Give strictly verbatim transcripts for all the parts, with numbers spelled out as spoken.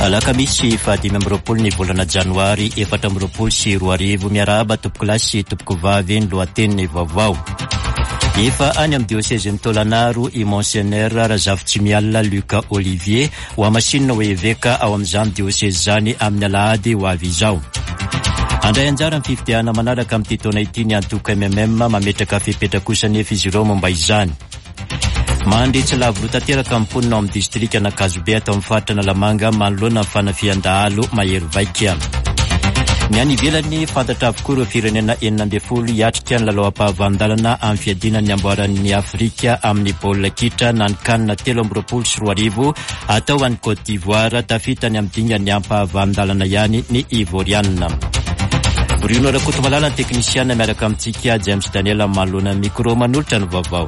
Alakamisy fahadimy amby roapolo ny volana janoary efatra amby roapolo sy roa arivo. Miarahaba tompokolahy sy tompokovavy. Ny lohatenin'ny vaovao: efa any amin'ny diosezin'i Taolagnaro i Monseigneur Razafintsimialona Luc Olivier, ho hamasinina ho eveka ao amin'izany diosezy izany amin'ny alahady ho avy izao. Handray anjara ny fifidianana manaraka amin'ity taona ity ny antoko M M M. Mametraka fepetra kosa nefa izy ireo momba izany. Mandry tsy lavo tanteraka ny mponina ao amin'ny distrika Ankazobe atao amin'ny faritra Analamanga manoloana ny fanafihan-dahalo mahery vaika. Ny any ivelany, fantatra avokoa ireo firenena enina ambin'ny folo hiatrika ny lalao ampahavalon-dalana amin'ny fiadiana ny amboaran'ny Afrika amin'ny baolina kitra na ny CAN telo amby roapolo sy roa arivo atao any Côte d'Ivoire. Tafita ny amin'ny dingany ampahavalon-dalana ihany ny Ivorianina. Bruno Rakotomalala ny teknisiana miaraka amintsika, James Daniel manoloana micro manolotra ny vaovao.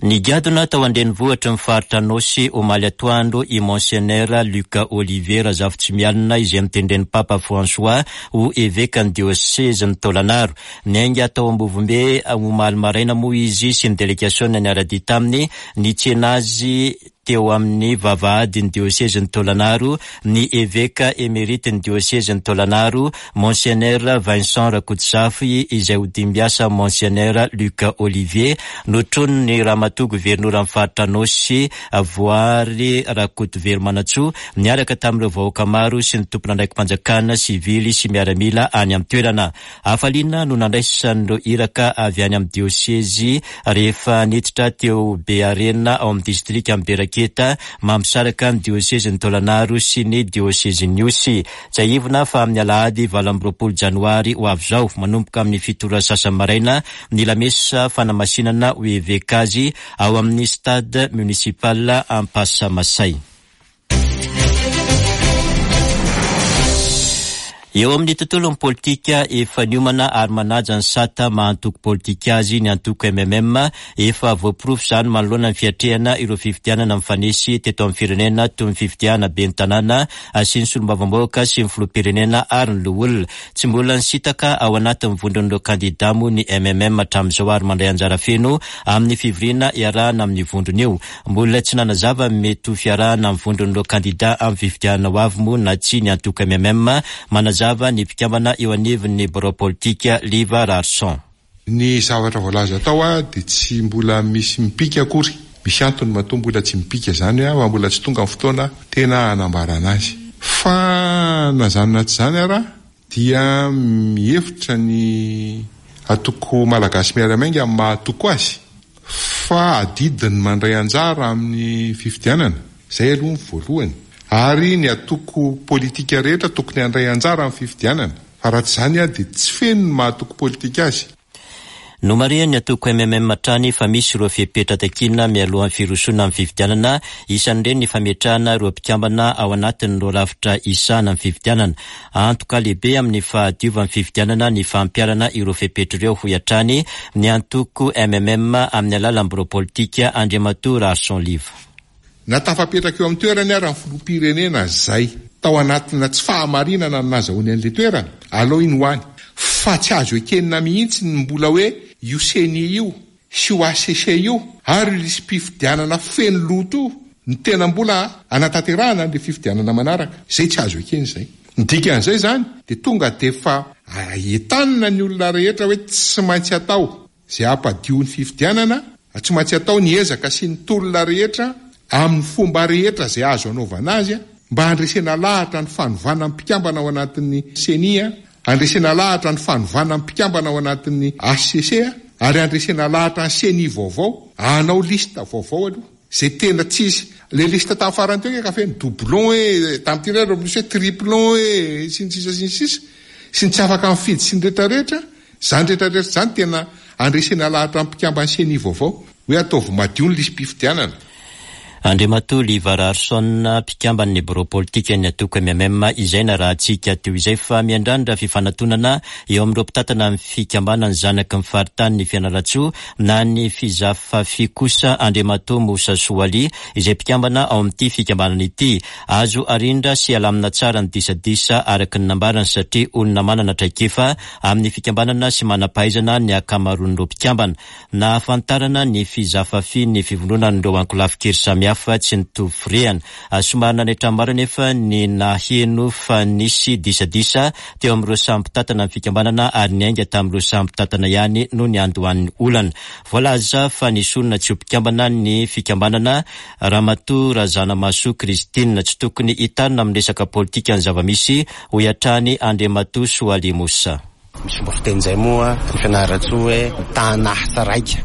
Nigadona tao an-drenivohitry ny faritra Anôsy omaly atoandro i Monseigneur Luc Olivier Razafintsimialona, izay notendren'ny Papa François ho eveka ny diosezin'i Taolagnaro. Niainga tao Ambovombe omaly maraina moa izy sy ny délégation niara-dia taminy. Nitsena azy teo amin'ny vavahady ny diosezin'i Taolagnaro ny eveka émérite ny diosezin'i Taolagnaro, Monseigneur Vincent Rakotozafy, izay ho dimbiasa Monseigneur Luc Olivier. Notronin'ny ramatoa governora amin'ny faritra Anôsy, Voary Rakotovelo niaraka tamin'ireo vahoaka maro sy ny tompon'andraiki-panjakana sivily sy miaramila any amin'ny toerana. Hafaliana no nandraisan'ireo iraka avy any amin'ny diosezy rehefa niditra teo Bearena ao amin'ny distrika Amberaketa mampisaraka ny diosezin'i Taolagnaro sy ny diosezin'i Ihosy. Tsiahivina fa amin'ny alahady valo amby roapolo janoary ho avy izao, manomboka amin'ny fito ora sasany maraina, ny lamesa fanamasinana ho eveka azy ao amin'ny stade municipal Ampasamasay. Eo amin'ny tontolon'ny politika, efa niomana ary manaja ny sata maha antoko politika azy ny antoko M M M. Efa voaporofo izany manoloana ny fiatrehana ireo fifidianana mifanesy teto amin'ny firenena, toy ny fifidianana ben'ny tanàna sy ny solombavambahoaka sy ny filoham-pirenena ary ny loholona. Tsy mbola nisintaka ao anatin'ny vondron'ireo kandida moa ny M M M hatramin'izao ary mandray anjara feno amin'ny fivoriana iarahana amin'ny vondrona io. Mbola tsy nanazava mety ho fiarahana amin'ny vondron'ireo kandida amin'ny fifidianana ho avy moa na tsy ny antoko M M M. Manazava ny mpikambana eo anivon'ny birao politika, Liva Rarson. Ny zavatra voalaza atao a dia tsy mbola misy mipika akory. Misy antony matoa mbola tsy mipika zany a, fa mbola tsy tonga ny fotoana tena anambarana azy. Fa na zany na tsy zany ara dia mihevitra ny antoko Malagasy Miara-Miainga amin'ny maha-antoko azy fa adidiny mandray anjara amin'ny fifidianana zay aloha ny voalohany, ary ny antoko politika rehetra tokony handray anjara amin'ny fifidianana, fa raha tsy zany a dia tsy feno ny maha-antoko politika azy. Nomarihan'ny antoko M M M hatrany fa misy ireo fepetra takiana mialohan'ny firosoana amin'ny fifidianana. Isan'ireny ny fametrahana ireo mpikambana ao anatin'ireo rafitra isahana amin'ny fifidianana. Antoka lehibe amin'ny fahadiovan'ny fifidianana ny fampiharana ireo fepetra ireo, hoy hatrany ny antoko M M M amin'ny alalan'ny birao politika, Andriamatoa Rarson Liva. Na tafapetraka eo amin'ny toerany ara ny filoham-pirenena zay tao anatina tsy fahamarinana ny nazahoany an'le toerana alao iny ho any, fa tsy azo ekenina mihitsy ny mbola hoe io CENI io sy io H C C io ary io lisi-pifidianana feno loto io ny tena mbola anatanterahana an'le fifidianana manaraka zay. Tsy azo ekeny zay. Ny dikan'izay zany de tonga de fa entanina ny olona rehetra hoe tsy maintsy atao zay hampadio ny fifidianana, tsy maintsy atao ny ezaka sy ny tolona rehetra amin'ny fomba rehetra zay azo anaovana azy a mba handresena lahatra ny fanovana mpikambana ao anatin'ny CENI a, handresena lahatra ny fanovana mpikambana ao anatin'ny H C C a, ary handresena lahatra ny CENI vaovao anao liste vaovao aloha zay tena tsisy le liste tamin'ny farany teo ka feno doublon hoe tamin'ity ray misy hoe triplon hoe sy ny sisa sy ny sisa sy ny tsy afaka mifidy sy ny rehetrarehetra zany. Rehetrarehetra zany tena andresena lahatra mpikambany CENI vaovao hoe ataovy madio ny lisi-pifidianana. Andriamatoa Liva Raharison, mpikamban'ny birao politikan'ny antoko M M M, izay narahantsika teo izay. Fa miandrandra fifanatonana eo amin'ireo mpitantana ny fikambanany zanaky ny faritany ny Fianarantsoa na ny Fizafafi kosa Andriamatoa Mosa Soali, izay mpikambana ao amin'ity fikambanana ity. Azo arindra sy alamina tsara ny disadisa, araka ny nambarany, satria olona manana traikefa amin'ny fikambanana sy manam-pahaizana ny ankamaroan'ireo mpikambana. Nahafantarana ny Fizafafi ny fivondronan'ireo ankolafin-kery samihafa tsy nitovy firehana. Somary nanaitra maro nefa ny naheno fa nisy disadisa teo amin'ireo samy mpitantana ny fikambanana, ary niainga tamin'ireo samy mpitantana ihany no ny andohan'ny olana. Voalaza fa nisy olona tsy ho mpikambana ny fikambanana, Ramatoa Razanamahasoa Christine. Tsy tokony hitarina amin'ny resaka politika ny zava-misy, hoy hatrany Andriamatoa Soali Mosa. Misy fomba fiteny moa ny Fianarantsoa hoe tanasa raika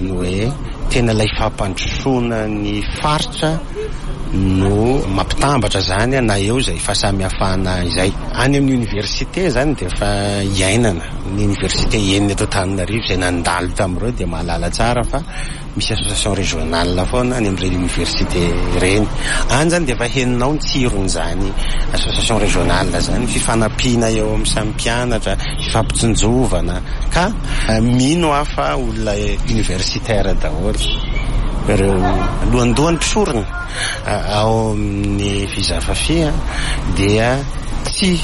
ny hoe tena ilay fampandrosoana ny faritra no mampitambatra zany, na eo zay fahasamihafana izay. Any amin'ny université zany de efa iainana ny université enina eto Antananarivo zay nandalo tamin'ireo, de mahalala tsara fa misy association régionale foana any amin'ireny université reny any zany, de efa heninao ny tsirony zany association régionale zany, fifanampiana eo amin'ny samy mpianatra, fifampitsinjovana. Ka mino aho fa olona universitaire daholo ireo lohandohany mpisorona ao amin'ny Fizafafi, dia tsy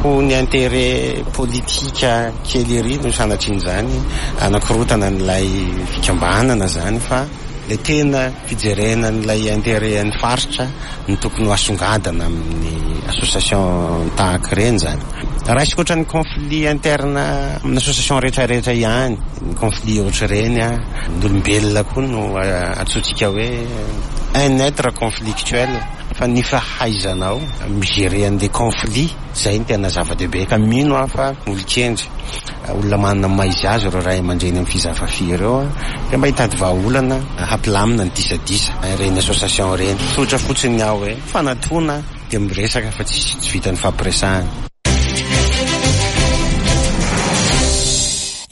ho ny intérêt politika kely ery no sanatriny zany anakorotana n'ilay fikambanana zany, fa le tena fijerena n'ilay intérêt ny faritra ny tokony ho asongadana amin'ny association tahaka ireny zany. Raisiko ohatra ny conflit interne amin'ny association rehetrarehetra ihany ny conflit ohatra ireny. A ny olombelona koa no antsointsika hoe un être conflictuel, fa ny fahaizanao migérer an'le conflit zay ny tena zava-dehibe. Ka mino aho fa olon-kendry, olona manana maizy azy ireo ray aman-dreny amin'ny Fizafafi ireo, a de mba hitady vahaolana hampilamina ny disadisa ireny association ireny. Tsotra fotsiny aho hoe fanatona de miresaka, fa tsisy tsy vita ny fampiresahana.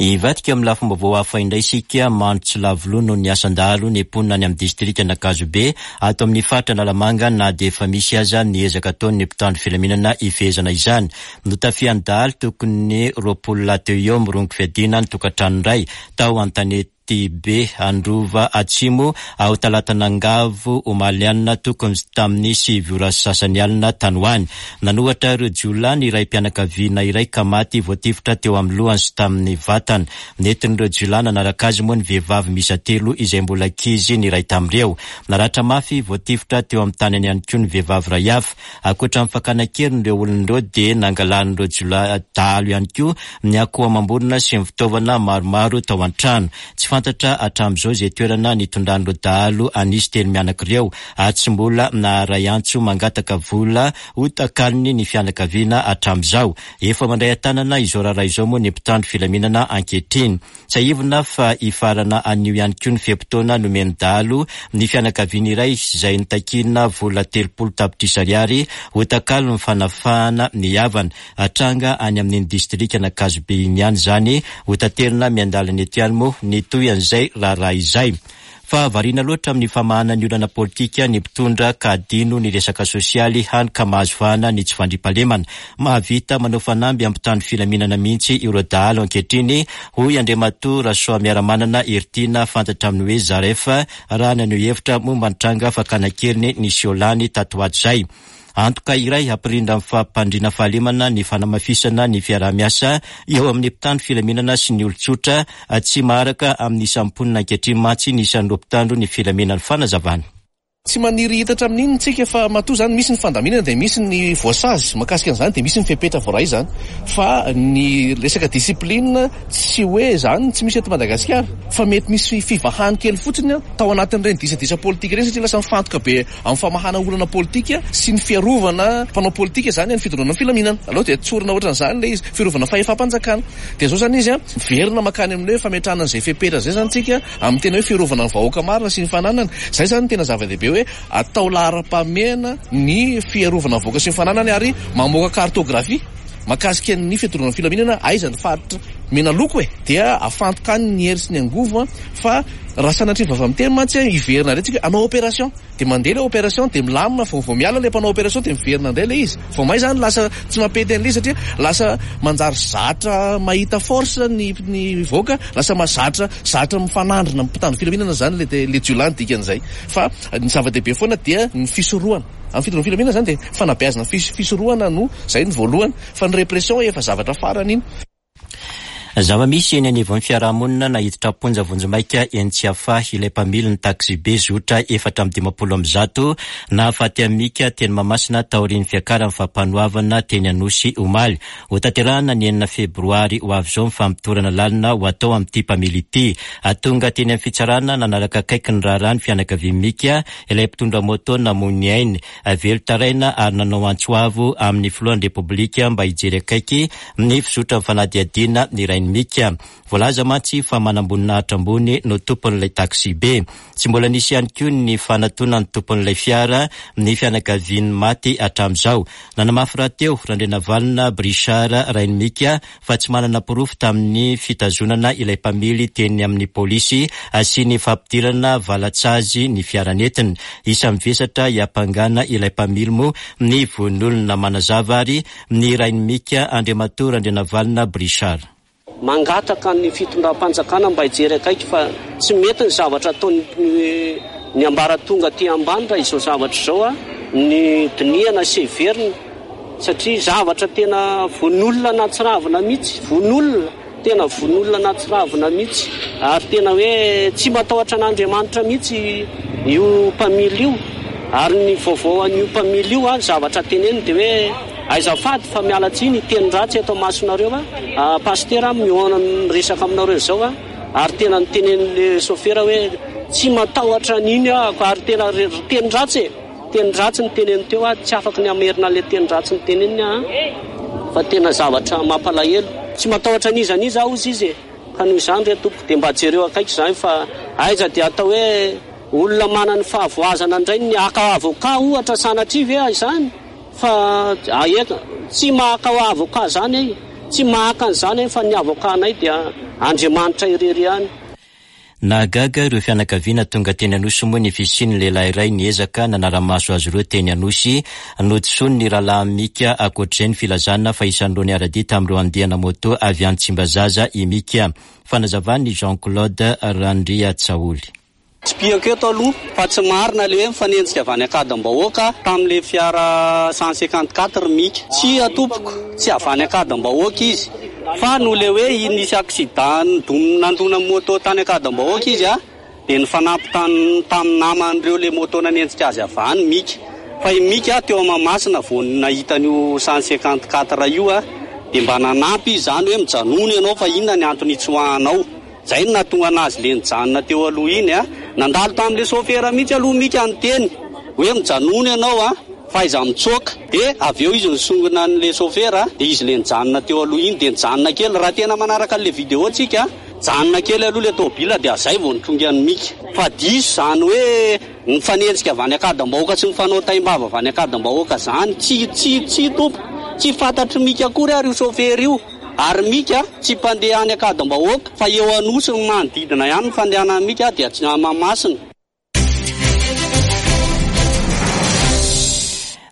Ivadika amin'ny lafim-baovao hafa indray isika. Mandro tsy lavo loha noho ny asan-dahalo ny mponina any amin'ny distrika Ankazobe ato amin'ny faritra Analamanga, na dia efa misy aza ny ezaka ataon'ny mpitandro filaminana ifehezana izany. Notafian'ny dahalo tokony roapolo lahy teo eo mirongo fiadiana ny tokantrano iray tao Antanety be Androva Atsimo ao Talatanangavo omaly alina, tokony tamin'ny sivy ora sasany alina tany ho any. Nanohatra ireo jiolahy ny iray mpianakaviana iray ka maty voatifitra teo amin'ny lohany sy tamin'ny vatana. Nentin'ireo jiolahy nanaraka azy moa ny vehivavy miisa telo, izay mbola ankizy ny iray tamin'ireo. Naratra mafy voatifitra teo amin'ny tanany ihany koa ny vehivavy iray hafa. Ankoatra ny fakana an-keriny ireo olona ireo, dia nangalan'ireo jiolahy dahalo ihany koa ny akoho amam-borona sy ny fitaovana maromaro tao an-trano. Tsy fantatra hatramin'izao izay toerana nitondran'ireo dahalo anisy telo mianaka ireo, ary tsy mbola naharay antso mangataka vola ho takalony ny fianakaviana hatramin'izao. Efa mandray an-tanana izao raharaha izao moa ny mpitandro filaminana ankehitriny. Tsiahivina fa hifarana anio ihany koa ny fe-potoana nomen'ny dahalo ny fianakaviana iray izay nitakiana vola telopolo tapitrisa ariary ho takalo ny fanafahana ny havana. Tranga any amin'iny distrika Ankazobe iny ihany zany. Ho taterina miandalana eto ihany moa ny toy an'izay raharaha izay. Fa variana loatra amin'ny famahana ny olana politika ny mpitondra ka adino ny resaka sosialy, hany ka mahazo vahana ny tsy fandriampahalemana. Mahavita manao fanamby ampitandro filaminana mihitsy ireo dahalo ankehitriny, hoy Andriamatoa Rasoa Miaramanana Heritiana, fantatra amin'ny hoe Zaref, raha naneho hevitra momba ny tranga fakana an-keriny nisy lany tato ho ato izay. Antoka iray hampirindra amin'ny fampandriana fahalemana ny fanamafisana ny fiaraha-miasa eo amin'ny mpitandro filaminana sy ny olon-tsotra. Tsy maharaka amin'ny isan'ny mponina ankehitriny mantsy ny isan'ireo mpitandro ny filaminana. Fanazavana. Tsy maniry hitatra amin'iny tsika, fa matoa zany misy ny fandaminana dia misy ny voasazy mahakasika an'izany, dia misy ny fepetra voaray zany. Fa ny resaka discipline, tsy hoe zany tsy misy eto Madagasikara, fa mety misy fivahany kely fotsiny tao anatin'ireny disadisa politika ireny, satria lasa mifantoka be amin'ny famahana olana politika sy ny fiarovana mpanao politika zany ny fitondrana filaminana aloha, dia tsorina ohatran'izany le izy, fiarovana fahefam-panjakana. Dia zao zany izy a miverina makany amin'ny hoe fametrahana an'izay fepetra zay zany tsika amin'ny tena hoe fiarovana ny vahoaka marina sy ny fananana. Zay zany tena zava-dehibe hoe atao laharam-pahamehana ny fiarovana ny vahoaka sy ny fananany, ary mamoaka cartographie mahakasika ny fitondrana filaminana, aiza ny faritra Mena loko e, dia afantoka any ny hery sy ny angovo, fa raha sanatria vava miteny mantsy hiverina indray tsika hanao opération, dia mandeha ilay opération dia milamina, vao vao miala ilay mpanao opération dia miverina indray ilay izy. Vao may zany lasa tsy mampety an'ilay izy satria lasa manjary zatra mahita force ny ny vahoaka, lasa mahazatra zatra mifanandrina mpitandro filaminana zany le le jiolahy ny dikan'izay. Fa ny zava-dehibe foana dia ny fisorohana. Amin'ny fitandroana filaminana zany dia fanabeazana fisorohana no zay ny voalohany, fa ny répression efa zavatra farany iny. Zava-misy eny anivon'ny fiarahamonina nahiditra am-ponja vonjimaika eny Tsiafahy ilay mpamily ny taksibe zotra efatra amby dimampolo amby zato nahafaty an'i Mika teny Mahamasina taorian'ny fiakaran'ny fampanoavana teny Anosy omaly. Hotanterahina ny enina febroary ho avy izao ny famotorana lalina ho atao amin'ity mpamily ity. Tonga teny amin'ny fitsarana nanaraka akaiky ny raharaha ny fianakavian'i Mika, ilay mpitondra moto namoy ny ainy. Velon-taraina ary nanao antso avo amin'ny filohan'ny Repoblika mba hijery akaiky ny fizotran'ny fanadihadiana ny rain'i Mika. Voalaza mantsy fa manamboninahitra ambony no tompon'ilay taksibe. Tsy mbola nisy ihany koa ny fanatonan'ny tompon'ilay fiara ny fianakavian'ny maty hatramin'izao. Nanamafy rahateo Randrianavalona Brichard rain'i Mika fa tsy manana porofo tamin'ny fitazonana ilay mpamily teny amin'ny polisy sy ny fampidirana valatsazy ny fiara nentiny. Isan'ny vesatra hiampangana ilay mpamily moa ny vononolona. Manazava ary ny rain'i Mika, Andriamatoa Randrianavalona Brichard. Mangataka ny fitondram-panjakana mba hijery akaiky fa tsy mety ny zavatra ataony ny ambaratonga aty ambany raha izao zavatra izao a, ny dinihana sy heverina satria zavatra tena vononolona nahatsiravina mihitsy, vononolona tena vononolona nahatsiravina mihitsy ary tena hoe tsy matahotra an'Andriamanitra mihitsy io mpamily io. Ary ny vaovao an'io mpamily io a, zavatra teneniny dia hoe aizafady fa miala tsiny teny ratsy eto masonareo a, pastera mihaona miresaka aminareo izao a, ary tena nitenen'le sofera hoe tsy matahotra an'iny aho ary tena teny ratsy e, teny ratsy ny teneny teo a, tsy afaka ny hamerina le teny ratsy ny teneniny a, fa tena zavatra mampalahelo. Tsy matahotra an'iza n'iza aho izy e, ka noho izany re tompoko dia mba jereo akaiky izany fa aiza dia atao hoe olona manana fahavoazana indray ny haka avocat ohatra sanatria ve izany fa aeta tsy mahaka avocat zany e, tsy mahaka an'izany fa ny avocat anay dia Andriamanitra irery ihany. Nahagaga ireo fianakaviana tonga teny Anosy moa ny fisian'ny lehilahy iray niezaka nanara-maso azy ireo teny Anosy. Nodisoany ny rahalahy Mika. Ankoatr'izay ny filazana fa isan'ireo niara-dia tamin'ireo andiana moto avy any Tsimbazaza i Mika. Fanazavan'i Jean-Claude Randriatsaoly. Tsipihako eto aloha fa tsy marina le hoe mifanenjika avy any Ankadimbahoaka tamin'ilay fiara cent cinquante-quatre Mika. Tsy atompoko, tsy avy any Ankadimbahoaka izy fa noho le hoe nisy accident nandona moto tany Ankadimbahoaka izy a, dia nifanampy tamin'ny naman'ireo le moto nanenjika azy avy any Mika. Fa i Mika teo Mahamasina vao nahita an'io cent cinquante-quatre io a, dia mba nanampy izy izany hoe mijanona ianao fa inona ny antony hitsoahanao. Zay no nahatonga anazy le nijanona teo aloha iny a. Nandalo tamin'le sofera mihitsy aloha Mika niteny hoe mijanona ianao a, fa aiza mitsoaka. Dia avy eo izy nisongona an'le sofera, dia izy le nijanona teo aloha iny dia nijanona kely. Raha tena manaraka an'le vidéo tsika, nijanona kely aloha le tômôbila dia zay vao nitrongy an'i Mika. Fa diso izany hoe mifanenjika avy any Ankadimbahoaka sy mifanao taim-bava avy any Ankadimbahoaka izany. Tsy, tsy, tsy tompo, tsy fantatry Mika akory ary io sofera io. Ary Mika tsy mpandeha any Ankadimbahoaka fa eo Anosy ny manodidina ihany ny fandehanan'i Mika dia tsy Mahamasina.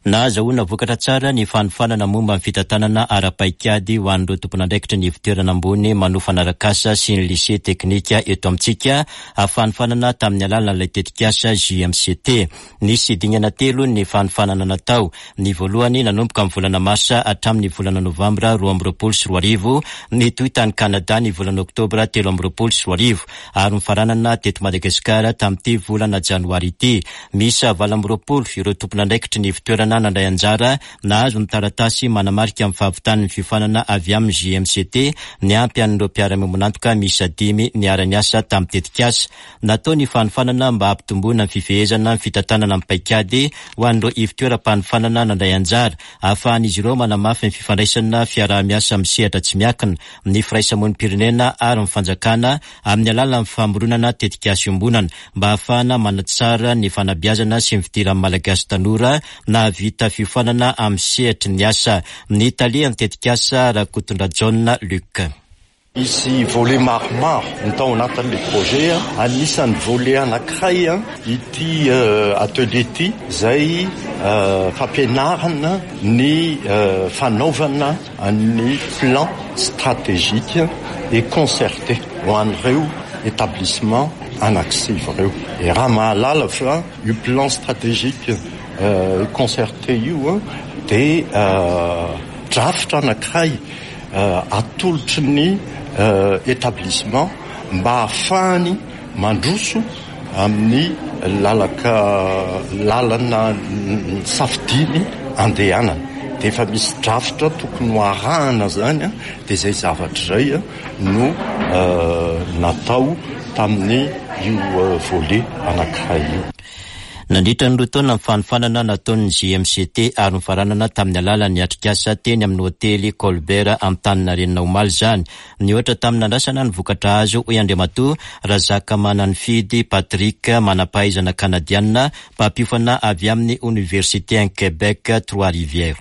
Nahazahoana vokatra tsara ny fanofanana momba ny fitantanana ara-paikady ho an'ireo tompon'andraikitra ny ivontoerana ambony manofana arak'asa sy ny lycée teknika eto amintsika. Fanofanana tamin'ny alalan'ilay tetikasa J M C T. Nisy dingana telo ny fanofanana natao. Ny voalohany nanomboka amin'ny volana marsa hatramin'ny volana novambra roa amby roapolo sy roa arivo, nitohy tany Kanada ny volana oktobra telo amby roapolo sy roa arivo ary nifaranana teto Madagasikara tamin'ity volana janoary ity. Miisa valo amby roapolo ireo tompon'andraikitry ny ivontoerana nandray anjara nahazo ny taratasy manamarika amin'ny fahavitan'ny fiofanana avy amin'ny J M C T niampy an'ireo mpiara-miombon'antoka miisa dimy niara-niasa tamin'ny tetikasa. Natao ny fanofanana mba hampitomboana ny fifehezana ny fitantanana amin'ny paikady ho an'ireo ivontoeram-panofanana nandray anjara, ahafahan'izy ireo manamafy ny fifandraisana fiaraha-miasa amin'ny sehatra tsy miankina, ny firaisamonim-pirenena ary ny fanjakana amin'ny alalan'ny famoronana tetikasa iombonana mba ahafahana manatsara ny fanabeazana sy ny fidiran'ny Malagasy tanora nahavita fiofanana amin'ny sehatry ny asa. Ny talehan'ny tetikasa Rakotondrajaona Luc. Misy volet maromaro ny tao anatin'le projet. Anisan'ny volet anankiray ity atelier ity, zay fampianarana ny fanaovana ny plan stratégique et concerté ho an'ireo établissement anankisivy ireo. E raha mahalala fa io plan stratégique concerté io dia drafitra anankiray atolotry ny établissement mba hahafahany mandroso amin'ny lalaka lalana safidiny andehanana, dia efa misy drafitra tokony ho arahana zany. A dia zay zavatra zay a no natao tamin'ny io volet anankiray io. Nandritra ny roa taona ny fanofanana nataon'ny J M C T ary nofaranana tamin'ny alalan'ny atrikasa teny amin'ny hotely Colbert Antaninarenina omaly zany. Nihoatra tamin'ny nandrasana ny vokatra azo, hoy Andriamatoa Razakamananyfidy Patrick, manam-pahaizana kanadianina mpampiofana avy amin'ny Université en Québec Trois Rivières.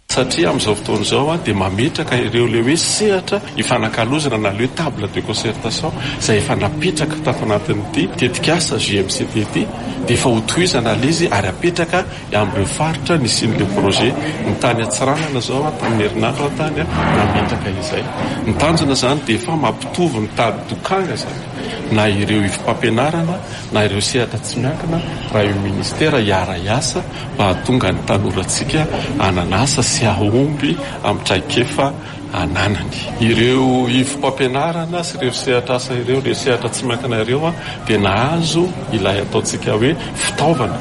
Satria amin'izao fotoana izao a dia mametraka ireo le hoe sehatra ifanakalozana na le table de concertation izay efa napetraka tato anatin'ity tetikasa J M C T ity, dia efa hotohizana le izy ary apetraka amin'ireo faritra nisian'le projet. Ny tany Antsiranana zao a tamin'ny herinandro atany a nametraka izay. Ny tanjona zany dia efa mampitovy ny tady dokanga zany, na ireo ivom-pampianarana na ireo sehatra tsy miankina, raha io ministera hiara-hiasa mba hahatonga ny tanorantsika hanana asa sy ahomby amin'ny traikefa ananany. Ireo ivom-pampianarana sy ireo sehatra asa ireo, ireo sehatra tsy miankina ireo a dia nahazo ilay ataontsika hoe fitaovana,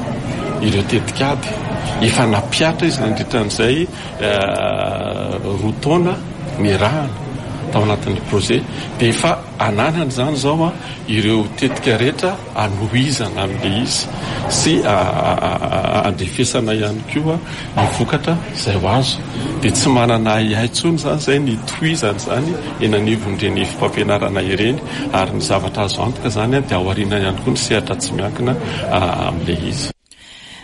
ireo tetikady efa nampihatra izy nandritra an'izay roa taona niarahana tao anatin'ny projet, dia efa ananany zany zao a ireo tetika rehetra anohizana amin'le izy sy andrefesana ihany koa ny vokatra izay ho azo. Dia tsy manana ahiahy intsony zany zay ny tohizany zany eny anivon'ireny ivom-pampianarana ireny, ary ny zavatra azo antoka zany a dia aoriana ihany koa ny sehatra tsy miankina amin'le izy.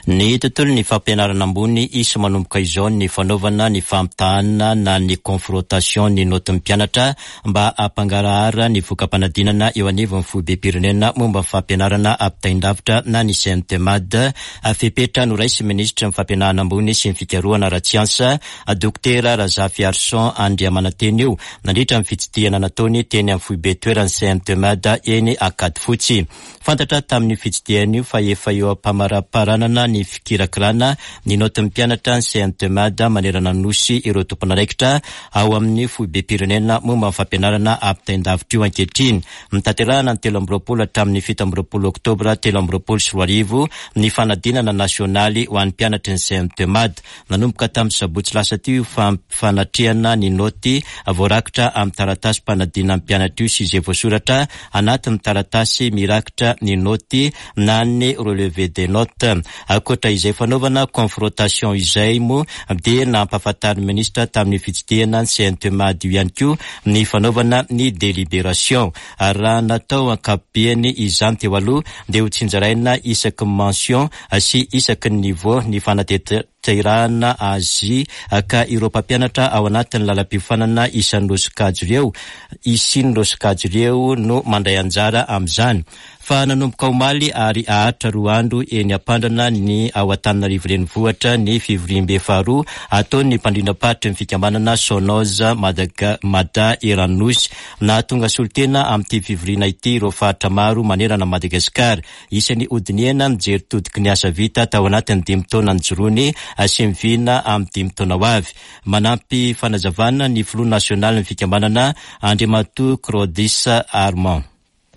Ny tontolo ny fampianarana ambony, isy manomboka izao ny fanaovana ny fampitahana na ny confrontation ny notin'ny mpianatra mba hampangarahara ny voka-panadinana eo anivon'ny foibem-pirenena momba ny fampianarana ampitain-davitra na ny C N T M A D. Fepetra noraisin'ny ministra ny fampianarana ambony sy ny fikarohana ara-tsiansa, Dokotera Razafiarison Andriamanantena io, nandritra ny fitsidihana nataony teny amin'ny foibe toeran'ny C N T M A D eny Ankadifotsy. Fantatra tamin'ny fitsidihana io fa efa eo am-pamaraparanana ny fikirakirana ny notin'ny mpianatra ny C N T M A D manerana nosy ireo tompon'andraikitra ao amin'ny foibem-pirenena momba ny fampianarana ampitain-davitra io ankehitriny. Notanterahana ny telo amby roapolo hatramin'ny fito amby roapolo oktobra telo amby roapolo sy roa arivo ny fanadinana nasionaly ho an'ny mpianatry ny C N T M A D. Nanomboka tamin'ny sabotsy lasa teo io fanatrehana ny noty voarakitra amin'ny taratasy mpanadinana mpianatra io sy izay voasoratra anatin'ny taratasy mirakitra ny noty na ny relevé des notes. Ankoatra izay fanaovana confrontation izay moa, dia nampahafantarin'ny ministra tamin'ny fitsidihana ny C N T M A D io ihany koa ny fanaovana ny délibération. Ary raha natao ankapobeany izany teo aloha, dia ho tsinjaraina isaky ny mention sy isaky ny niveau ny fanatanterahana azy, ka ireo mpampianatra ao anatin'ny lalam-piofanana isan'ireo sokajy ireo isin'ireo sokajy ireo no mandray anjara amin'izany. Fa nanomboka omaly ary haharitra roa andro eny Ampandrana ny ao Antananarivo renivohitra ny fivoriambe faharoa ataon'ny mpandrindram-paritry ny fikambanana Sonoz Madaga Mada eran'ny nosy. Nahatonga solontena amin'ity fivoriana ity ireo faritra maro manerana Madagasikara. Isan'ny hodinihana mijery todiky ny asa vita tao anatin'ny dimy taona nijoroany sy mivina amin'ny dimy taona ho avy. Manampy fanazavana ny filoha nasionaly ny fikambanana, Andriamatoa Claudis Armand.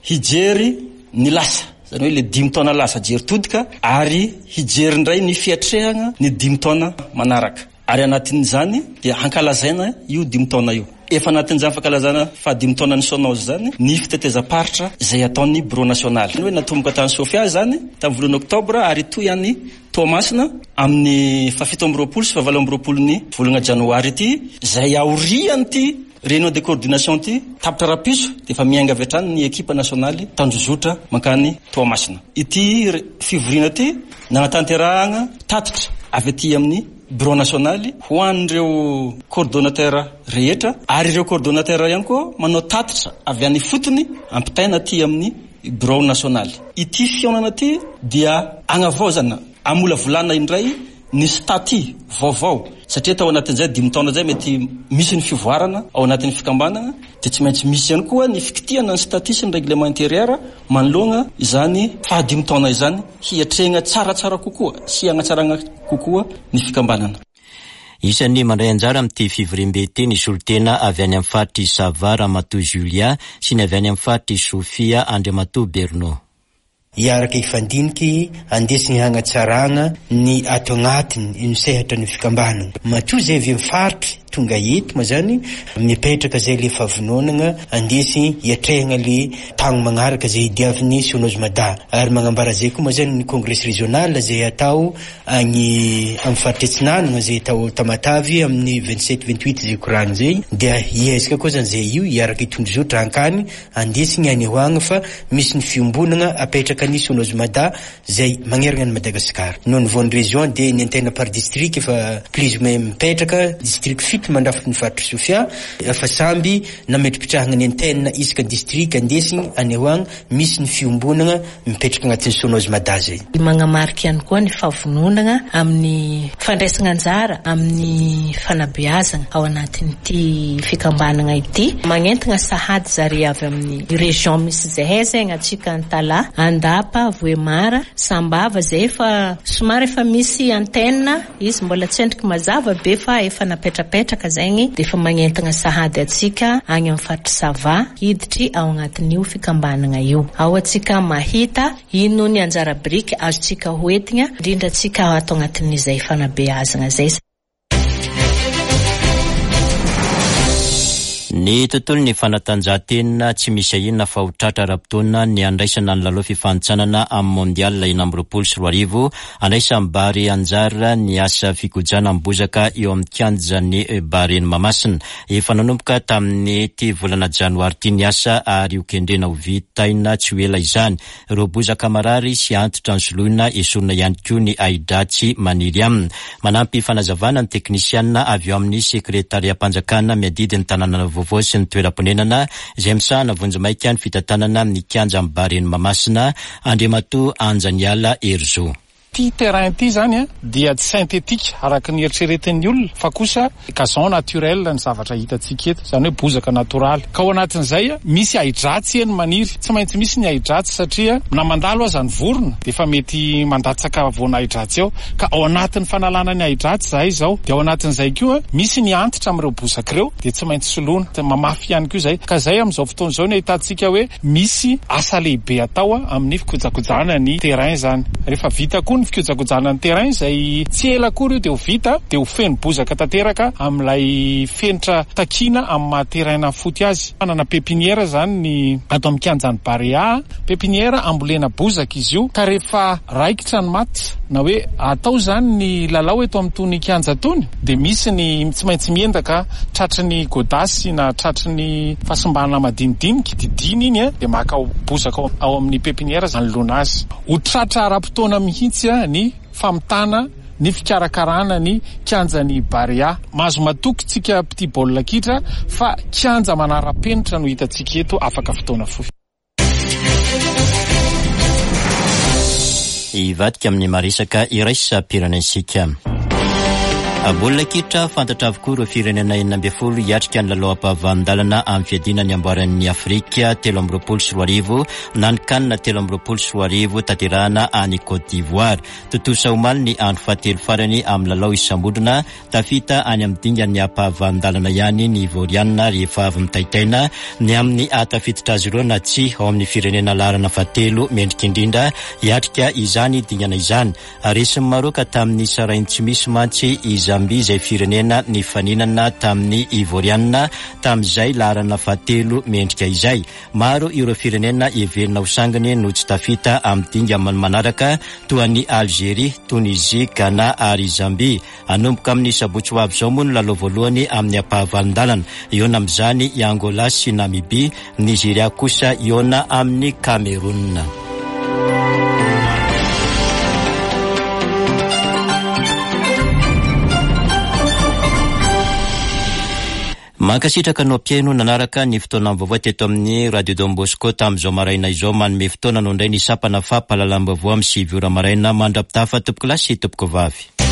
Hijery ny lasa zany hoe le dimy taona lasa, jery todika, ary hijery indray ny fiatrehana ny dimy taona manaraka, ary anatin'izany dia hankalazaina io dimy taona io. Efa anatin'izany fankalazana fa dimy taona ny Sonoz zany ny fitetezam-paritra izay ataon'ny bureau national hoe natomboka tany Sofia zany tamin'ny volana oktobra ary toy any Toamasina amin'ny fahafito amby roapolo sy fahavalo amby roapolo ny volana janoary ity. Zay aorian'ity réunion de coordination ty tapitra rahampitso de efa miainga avy hatrany ny ekipa nasionaly tanjozotra mankany Toamasina. Ity fivoriana ty nanatanterahana tatitra avy aty amin'ny Bureau nasionaly ho an'ireo coordonnateur rehetra, ary ireo coordonnateur ihany koa manao tatitra avy any fotony ampitaina aty amin'ny bureau nasionaly. Ity fihaonana ity dia agnavaozana, amolavolana indray ny statut vaovao, satria tao anatin'izay dimy taona izay mety misy ny fivoarana ao anatin'ny fikambanana, dia tsy maintsy misy ihany koa ny fikitihana ny statut sy ny règlement intérieur manoloana izany fahadimy taona izany, hiatrehana tsaratsara kokoa sy hanatsarana kokoa ny fikambanana. Isan'ny mandray anjara amin'ity fivoriambe ity ny solontena avy any amin'ny faritry Sava, Ramatoa Julia, sy ny avy any amin'ny faritry Sofia, Andriamatoa Berno. Hiaraka hifandiniky andesiny hagnatsarana ny ato agnatiny ny sehatra ny fikambanana. Matoa zay avy amin'ny faritry tonga eto ma zany mipetraka zay le fahavononana andesy hiatrehana le tagno magnaraka zay hidiavin'ny Sonozy Mada. Ary magnambara zay koa ma zany ny congrès régional zay atao agny amin'ny faritry Atsinanana zay atao Tamatavy amin'ny vingt-sept vingt-huit zay koragny zay, dia hiezaka koa zany zay io hiaraka hitondrozotra hankany andesiny anehoagna fa misy ny fiombonana apetraka ny Sonozy Mada zay magnerana ny Madagasikara. Noho ny voan'ny région dia ny antenne par district efa plus ou moins mipetraka, district fito mandrafitra ny faritry Sofia, efa samby nametripetrahana ny antenne isaka district andesiny anehoagna misy ny fiombonana mipetraka agnatin'ny Sonozy Mada zay. Magnamarika ihany koa ny fahavononana amin'ny fandraisana anjara amin'ny fanabeazana ao anatin'ity fikambanana ity. Magnentana sahady zare avy amin'ny région misy zahay zegny atsika Antala, Andapa, Vohemara, Sambava zay efa somary efa misy antenne izy mbola tsy endriky mazava be fa efa napetrapetraka zegny, dia efa magnentana sahady atsika agny amin'ny faritry Sava hiditry ao agnatin'io fikambanana io. Ao atsika mahita ino ny anjara biriky azontsika hoentina, indrindra atsika ato agnatin'izay fanabeazana zay. Ny tontolo ny fanatanjahantena tsy misy ahiana fa ho tratra ara-potoana ny andraisana ny lalao fifanintsanana amin'ny mondial enina amby roapolo sy roa arivo. Andraisan'ny Barea anjara ny asa fikojana ny bozaka eo amin'ny kianjan'ny Barea Mahamasina. Efa nanomboka tamin'ny ty volana janoary ity ny asa ary ho kendrena ho vitaina tsy ho ela izany. Ireo bozaka marary sy antitra ny soloina esorina ihany koa ny ahidratsy maniry aminy. Manampy fanazavana ny teknisiana avy eo amin'ny sekretariam-panjakana miadidy ny tanàna vaovao sy ny toeram-ponenana izay misahana vonjimaika ny fitantanana ny kianjan'ny Barea Mahamasina, Andriamatoa Anjaniala Herizo. Ity terrain ity zany dia tsy synthétique araka ny eritreretin'ny olona fa kosa gazon naturel ny zavatra hitantsika eto, izany hoe bozaka natoraly. Ka ao anatin'izay misy ahidratsy eny maniry, tsy maintsy misy ny ahidratsy satria na mandalo aza ny vorona dia efa mety mandatsaka voana ahidratsy eo. Ka ao anatin'ny fanalana ny ahidratsy zahay izao, dia ao anatin'izay koa misy ny antitra amin'ireo bozaka ireo dia tsy maintsy soloina, mamafy ihany koa izay. Ka izay amin'izao fotoana izao no ahitantsika hoe misy asa lehibe atao amin'ny fikojakojana ny terrain zany. Rehefa vita koa ny fikojakojana ny terrain izay tsy ela akory io dia ho vita, dia ho feno bozaka tanteraka amin'ilay fenitra takiana amin'ny maha terrain foty azy. Manana pépinière zany ny ato amin'ny kianjan'ny Barea, pépinière ambolena bozaka izy io, ka rehefa raikitra ny match na hoe atao zany ny lalao eto amin'itony kianja tony dia misy ny tsy maintsy miendaka tratry ny godasy na tratry ny fahasimbana madinidinika, didina iny a, dia maka bozaka ao amin'ny pépinière anoloana azy. Ho tratra ara-potoana mihitsy ny famitana ny fikarakarana ny kianjan'ny Barea. Mahazo matoky tsika mpitia baolina kitra fa kianja manara-penitra no hitantsika eto afaka fotoana fohy. Hivadika amin'ny maresaka iraisam-pirenentsika. Baolina kitra fantatra avokoa ireo firenena enina ambin'ny folo hiatrika ny lalao ampahavalon-dalana amin'ny fiadiana ny amboaran'ny Afrika telo amby roapolo sy roa arivo na ny CAN telo amby roapolo sy roa arivo tanterahana any Côte d'Ivoire. Tontosa omaly ny andro fahatelo farany amin'ny lalao isam-bondrona, tafita any amin'ny dingan'ny ampahavalon-dalana ihany ny Ivoriana rehefa avy mitaitaina ny amin'ny ahatafiditra azy ireo na tsy ao amin'ny firenena laharana fahatelo mendrika indrindra hiatrika izany dingana izany. Resin'i Maroka tamin'ny sarainy tsy misy mantsy i Zambia izay firenena nifaninana tamin'ny Ivoriana tamin'izay laharana fahatelo mendrika izay. Maro ireo firenena heverina ho sangany no tsy tafita amin'ny dingana manaraka toa an'i Algérie, Tunisie, Ghana ary Zambia. Hanomboka amin'ny sabotsy ho avy izao moa ny lalao voalohany amin'ny ampahavalon-dalana. Hihaona amin'izany i Angola sy Namibia, Nigeria kosa hihaona amin'ny Cameroun. Mankasitraka anao mpihaino nanaraka ny fotoana vaovao teto amin'ny Radio Don Bosco tamin'izao maraina izao. Manome fotoana anao indray ny sampana fampahalalam-baovao amin'ny sivy ora maraina. Mandra-pitafa, tompoko lahy sy tompoko vavy.